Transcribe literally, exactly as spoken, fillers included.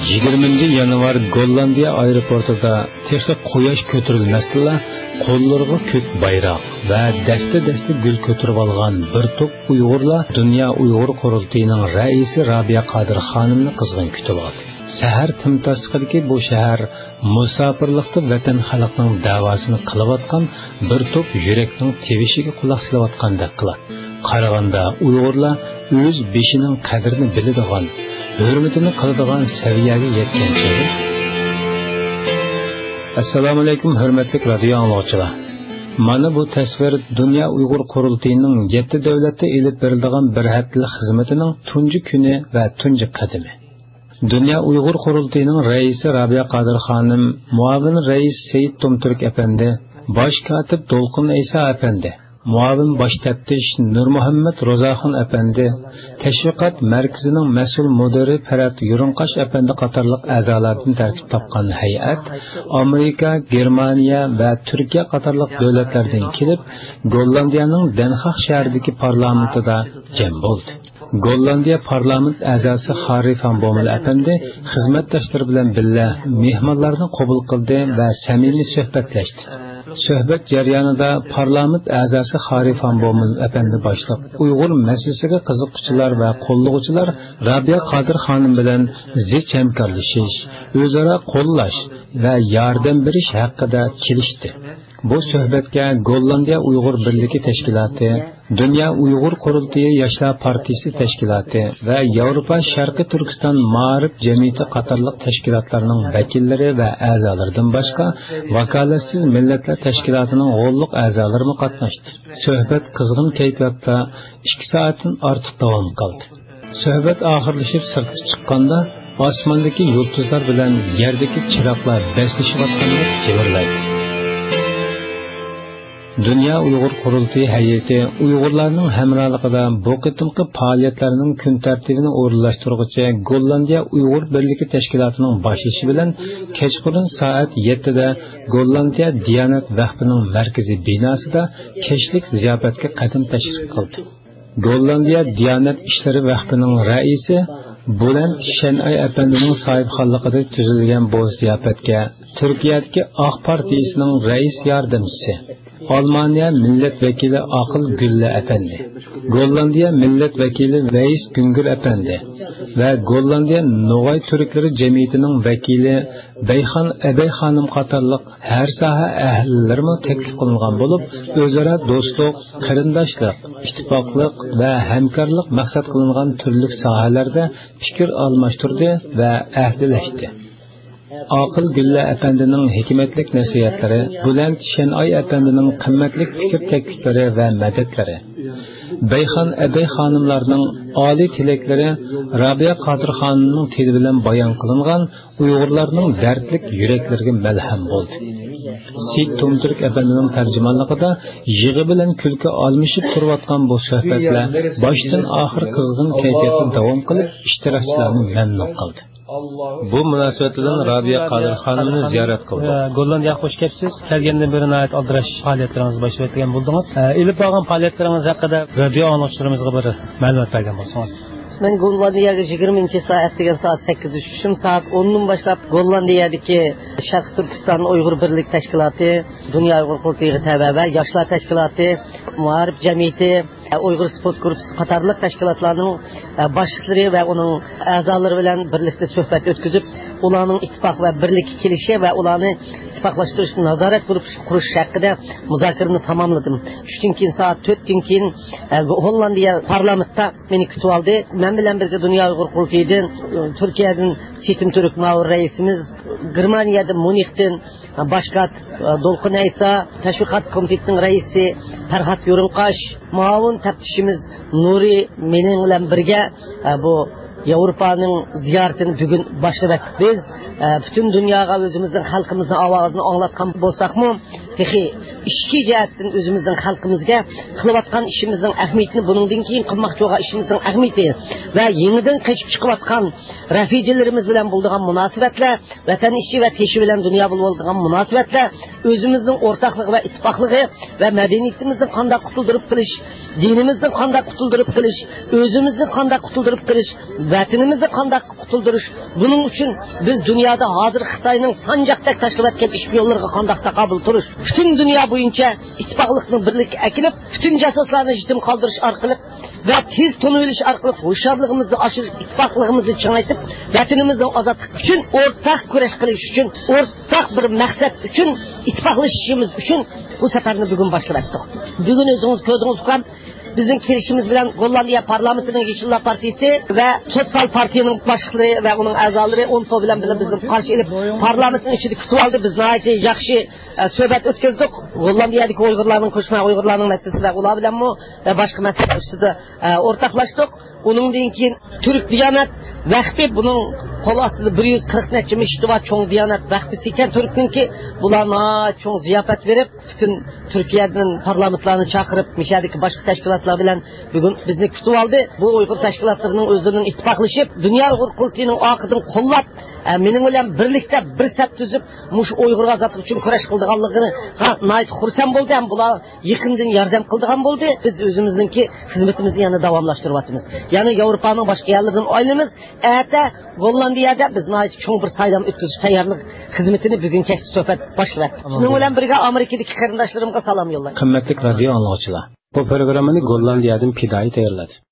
يىگىرمىنچى يانۋار گوللاندىيە ئايروپورتىدا تېخى قۇياش كۆتۈرۈلمەستىنلا، قوللىرىغا كۆك بايراق ۋە دەستە-دەستە گۈل كۆتۈرۈۋالغان بىر توپ ئۇيغۇرلار دۇنيا ئۇيغۇر قۇرۇلتىيىنىڭ رەئىسى رابىيە قادىر خانىمنى قىزغىن كۈتۈۋالدى. سەھەر تىمتاسلىقىدىكى بۇ شەھەر مۇساپىرلىقتا ۋەتەن خەلقنىڭ دەۋاسىنى قىلىۋاتقان بىر توپ يۈرەكنىڭ تىۋىشىگە قۇلاق سېلىۋاتقاندەك قىلاتتى. قارىغاندا ئۇيغۇرلار ئۆز بېشىنىڭ قەدرىنى بىلىدىغان، ھۆرمىتىنى قىلىدىغان سەۋىيەگە يەتكەن چېغى. ئەسسالامۇئەلەيكۇم، ھۆرمەتلىك رادىيو ئاڭلىغۇچىلار! مانا بۇ تەسۋىر دۇنيا ئۇيغۇر قۇرۇلتىيىنىڭ يەتتە دۆلەتتە ئېلىپ بېرىلىدىغان بىر ھەپتىلىك خىزمىتىنىڭ تۇنجى كۈنى ۋە تۇنجى قەدىمى. دۇنيا ئۇيغۇر قۇرۇلتىيىنىڭ رەئىسى رابىيە قادىر خانىم، مۇئاۋىن رەئىس سېيىت تومتۈرك ئەپەندى، باش كاتىپ دولقۇن ئەيسا ئەپەندى، مۇئاۋىن باش تەپتىش نۇرمۇھەممەت روزاخۇن ئەپەندى، تەشۋىقات مەركىزىنىڭ مەسئۇل مۇدىرى پەرھات يۇرۇڭقاش ئەپەندى قاتارلىق ئەزالاردىن تەركىب تاپقان ھەيئەت ئامېرىكا، گېرمانىيە ۋە تۈركىيە قاتارلىق دۆلەتلەردىن كېلىپ، گوللاندىيەنىڭ دەنخاق شەھىرىدىكى پارلامېنتىدا جەم بولدى. گوللاندىيە پارلامېنت ئەزاسى خاررى فان بومېل ئەپەندى خىزمەتداشلىرى بىلەن بىللە مېھمانلارنى قوبۇل قىلدى ۋە سەمىمىي سۆھبەتلەشتى. سۆھبەت جەريانىدا پارلامېنت ئەزاسى خاررى فان بومېل ئەپەندى باشلىق ئۇيغۇر مەسىلىسىگە قىزىققۇچىلار ۋە قوللىغۇچىلار رابىيە قادىر خانىم بىلەن زىچ ھەمكارلىشىش، ئۆزئارا قوللاش ۋە ياردەم بېرىش ھەققىدە كېلىشتى. بۇ سۆھبەتكە گوللاندىيە ئۇيغۇر بىرلىكى تەشكىلاتى، دۇنيا ئۇيغۇر قۇرۇلتىيى ياشلار پارتىيىسى تەشكىلاتى ۋە ياۋروپا شەرقىي تۈركىستان مائارىپ جەمئىيىتى قاتارلىق تەشكىلاتلارنىڭ ۋەكىللىرى ۋە ئەزالىرىدىن باشقا، ۋاكالەتسىز مىللەتلەر تەشكىلاتىنىڭ غوللۇق ئەزالىرىمۇ قاتناشتى. سۆھبەت قىزغىن كەيپىياتتا ئىككى سائەتتىن ئارتۇق داۋام قىلدى. سۆھبەت ئاخىرلىشىپ سىرتقا چىققاندا، ئاسماندىكى يۇلتۇزلار بىلەن يەردىكى چىراغلار بەسلىشىۋاتقاندەك جىمىرلايدۇ. دۇنيا ئۇيغۇر قۇرۇلتىيى ھەيئىتى ئۇيغۇرلارنىڭ ھەمراھلىقىدا بۇ قېتىمقى پائالىيەتلەرنىڭ كۈن تەرتىپىنى ئورۇنلاشتۇرغۇچى گوللاندىيە ئۇيغۇر بىرلىكى تەشكىلاتىنىڭ باشلىشى بىلەن كەچقۇرۇن سائەت يەتتىدە گوللاندىيە دىيانەت ۋەخپىنىڭ مەركىزىي بىناسىدا كەچلىك زىياپەتكە قەدەم تەشرىپ قىلدى. گوللاندىيە دىيانەت ئىشلىرى ۋەخپىنىڭ رەئىسى بۇلەنت شەنئاي ئەپەندىنىڭ ساھىبخانلىقىدا تۈزۈلگەن بۇ زىياپەتكە تۈركىيەدىكى ئاق پارتىيىسىنىڭ رەئىس ياردەمچىسى، ئالمانىيە مىللەت ۋەكىلى ئاقىل گۈللە ئەپەندى، گوللاندىيە مىللەت ۋەكىلى ۋەيس گۈڭگۈر ئەپەندى ۋە گوللاندىيە نوغاي تۈركلىرى جەمئىيىتىنىڭ ۋەكىلى بەيخان ئەبەي خانىم قاتارلىق ھەر ساھە ئەھلىلىرىمۇ تەكلىپ قىلىنغان بولۇپ، ئۆزئارا دوستلۇق، قېرىنداشلىق، ئىتتىپاقلىق ۋە ھەمكارلىق مەقسەت قىلىنغان تۈرلۈك ساھەلەردە پىكىر ئالماشتۇردى ۋە ئەھدىلەشتى. ئاقىل گۈللە ئەپەندىنىڭ ھېكمەتلىك نەسىھەتلىرى، بۇلەنت شەنئاي ئەپەندىنىڭ قىممەتلىك پىكىر تەكلىپلىرى ۋە مەدەتلىرى، بەيخان ئەبەي خانىملارنىڭ ئالىي تىلەكلىرى رابىيە قادىر خانىمنىڭ تىلى بىلەن بايان قىلىنغان ئۇيغۇرلارنىڭ دەردلىك يۈرەكلىرىگە مەلھەم بولدى. سېيىت تومتۈرك ئەپەندىنىڭ تەرجىمانلىقىدا يىغا بىلەن كۈلكە ئالمىشىپ تۇرۇۋاتقان بۇ سۆھبەتلەر باشتىن ئاخىر قىزغىن كەيپىياتتا داۋام قىلىپ، ئىشتىراكچىلارنى مەمنۇن قىلدى. بۇ مۇناسىۋەت بىلەن رابىيە قادىر خانىمنى زىيارەت قىلدۇق. گوللاندىيەگە خوش كەپسىز. كەلگەندىن بېرى ناھايىتى ئالدىراش پائالىيەتلىرىڭىزنى باشلاۋەتكەن بولدىڭىز. ئە، ئېلىپ بارغان پائالىيەتلىرىڭىز ھەققىدە رادىيو ئاڭلىغۇچىلىرىمىزغا بىر مەلۇمات بەرگەن بولسىڭىز. مەن گوللاندىيەگە يىگىرمىنچى سائەت دېگەن سائەت سەككىزدە چۈشتۈم. سائەت ئوندىن باشلاپ گوللاندىيەدىكى شەرقىي تۈركىستان ئۇيغۇر بىرلىك تەشكىلاتى، دۇنيا ئۇيغۇر قۇرۇلتىيىغا تەۋە ۋە ياشلار تەشكىلاتى، مائارىپ جەمئىيىتى، ئۇيغۇر سپورت گۇرۇپپىسى قاتارلىق تەشكىلاتلارنىڭ باشلىقلىرى ۋە ئۇنىڭ ئەزالىرى بىلەن بىرلىكتە سۆھبەت ئۆتكۈزۈپ، ئۇلارنىڭ ئىتتىپاق ۋە بىرلىككە كېلىشى ۋە ئۇلارنى ئىتتىپاقلاشتۇرۇش نازارەت گۇرۇپپىسى قۇرۇش ھەققىدە مۇزاكىرىنى تاماملىدىم. چۈشتىن كېيىن سائەت تۆتتىن كېيىن، ئە، گوللاندىيە پارلامېنتتا مېنى كۈتۈۋالدى. مەن بىلەن بىرگە دۇنيا ئۇيغۇر قۇرۇلتىيىدىن، ئە، تۈركىيەدىن سېيىت تومتۈرك مۇئاۋىن رەئىسىمىز، گېرمانىيەدىن ميۇنخېندىن، ئە، باش كاتىپ، ئە، دولقۇن ئەيسا، تەشۋىقات كومىتېتىنىڭ رەئىسى پەرھات يورۇنقاش، مۇئاۋىن تەپتىشىمىز نۇرى مېنىڭ بىلەن بىرگە، ئە، بۇ ياۋروپانىڭ زىيارىتىنى بۈگۈن باشلىۋەتتۇق بىز. ئە، پۈتۈن دۇنياغا ئۆزىمىزنىڭ خەلقىمىزنىڭ ئاۋازىنى ئاڭلاتقان بولساقمۇ، تېخى ئىچكى جەھەتتىن ئۆزىمىزنىڭ خەلقىمىزگە قىلىۋاتقان ئىشىمىزنىڭ ئەھمىيىتىنى، بۇنىڭدىن كېيىن قىلماقچى بولغان ئىشىمىزنىڭ ئەھمىيىتى ۋە يېڭىدىن قېچىپ چىقىۋاتقان رەفىجىلىرىمىز بىلەن بولىدىغان مۇناسىۋەتلەر، ۋەتەن ئىچى ۋە تېشى بىلەن دۇنيا بولۇۋاتىدىغان مۇناسىۋەتلەر، ئۆزىمىزنىڭ ئورتاقلىقى ۋە ئىتتىپاقلىقى ۋە مەدەنىيىتىمىزنى قانداق قۇتۇلدۇرۇپ قېلىش، دىنىمىزنى قانداق قۇتۇلدۇرۇپ قېلىش، ئۆزىمىزنى قانداق قۇتۇلدۇرۇپ قېلىش، ۋەتىنىمىزنى قانداق قۇتۇلدۇرۇش، بۇنىڭ ئۈچۈن بىز دۇنيادا ھازىر خىتاينىڭ سانجاقتەك تاشلىۋەتكەن ئىشپىيونلىرىغا قانداق تاقابىل تۇرۇش، پۈتۈن دۇنيا بويىچە ئىتتىپاقلىقنى بىرلىككە ئەكېلىپ، پۈتۈن جاسۇسلارنى يېتىم قالدۇرۇش ئارقىلىق ۋە تېز تونۇۋېلىش ئارقىلىق ھوشيارلىقىمىزنى ئاشۇرۇپ، ئىتتىپاقلىقىمىزنى چىڭايتىپ، ۋەتىنىمىزنىڭ ئازادلىقى ئۈچۈن ئورتاق كۈرەش قىلىش ئۈچۈن، ئورتاق بىر مەقسەت ئۈچۈن ئىتتىپاقلىشىشىمىز ئۈچۈن بۇ سەپەرنى بۈگۈن باشلىۋەتتۇق. بۈگۈن ئۆزىڭىز كۆردىڭىز ئۇكام، بىزنىڭ كېلىشىمىز بىلەن گوللاندىيە پارلامېنتىنىڭ يېشىللار پارتىيىسى ۋە سوتسىيال پارتىيىنىڭ باشلىقلىرى ۋە ئۇنىڭ ئەزالىرى ئونپو بىلەن بىللە بىزنى قارشى ئېلىپ، پارلامېنتنىڭ ئىچىدە كۈتۈۋالدى. بىز ناھايىتى ياخشى، ئە، سۆھبەت ئۆتكۈزدۇق. گوللاندىيەدىكى ئۇيغۇرلارنىڭ، كۆچمەن ئۇيغۇرلارنىڭ مەسىلىسى ۋە ئۇلار بىلەنمۇ ۋە باشقا مەسىلىلەر ئۈستىدە، ئە، ئورتاقلاشتۇق. ئۇنىڭدىن كېيىن تۈرك دىيانەت ۋەخپى، بۇنىڭ قول ئاستىدا بىر يۈز قىرىق نەچچە مىشىتى بار چوڭ دىيانەت ۋەخپىسى ئىكەن تۈركنىڭكى. بۇلار ناھايىتى چوڭ زىياپەت بېرىپ، پۈتۈن تۈركىيەدىن پارلامېنتلارنى چاقىرىپ، مىشەدىكى باشقا تەشكىلاتلار بىلەن بۈگۈن بىزنى كۈتۈۋالدى. بۇ ئۇيغۇر تەشكىلاتلىرىنىڭ ئۆزلىرىنىڭ ئىتتىپاقلىشىپ، دۇنيا ئۇيغۇر قۇرۇلتىيىنىڭ ئارقىدىن قوللاپ، ئە، مېنىڭ بىلەن بىرلىكتە بىر سەپ تۈزۈپ، مۇشۇ ئۇيغۇر ئازادلىقى ئۈچۈن كۈرەش قىلىدىغانلىقىغا ناھايىتى خۇرسەن بولدى ھەم بۇلار يېقىندىن ياردەم قىلىدىغان بولدى. بىز ئۆزىمىزنىڭكى خىزمىتىمىزنى يەنە داۋاملاشتۇرۇۋاتىمىز. يەنى ياۋروپانىڭ باشقا يەرلىرىدىن ئايلىنىمىز. ئەتە گوللاندىيەدە بىز ناھايىتى چوڭ بىر سايلام ئۆتكۈزۈش تەييارلىق خىزمىتىنى بۈگۈن كەچتە سۆھبەت باشلىۋەتتۇق. شۇنىڭ بىلەن بىرگە ئامېرىكىدىكى قېرىنداشلىرىمغا سالام يوللايمەن. قىممەتلىك رادىيو ئاڭلىغۇچىلار، بۇ پروگراممىنى گوللاندىيەدىن پىدائىي تەييارلىدى.